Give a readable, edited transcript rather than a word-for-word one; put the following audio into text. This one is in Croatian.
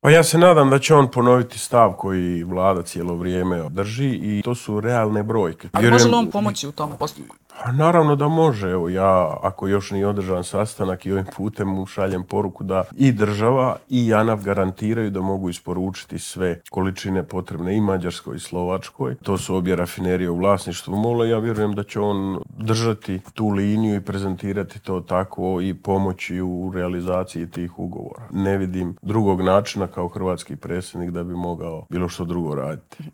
Pa ja se nadam da će on ponoviti stav koji vlada cijelo vrijeme drži i to su realne brojke. Ali može li on pomoći u tom postupku? Pa naravno da može. Evo ja, ako još nije održan sastanak i ovim putem mu šaljem poruku da i država i JANAF garantiraju da mogu isporučiti sve količine potrebne i Mađarskoj i Slovačkoj. To su obje rafinerije u vlasništvu MOL-a. Ja vjerujem da će on držati tu liniju i prezentirati to tako i pomoći u realizaciji tih ugovora. Ne vidim drugog načina kao hrvatski predsjednik da bi mogao bilo što drugo raditi.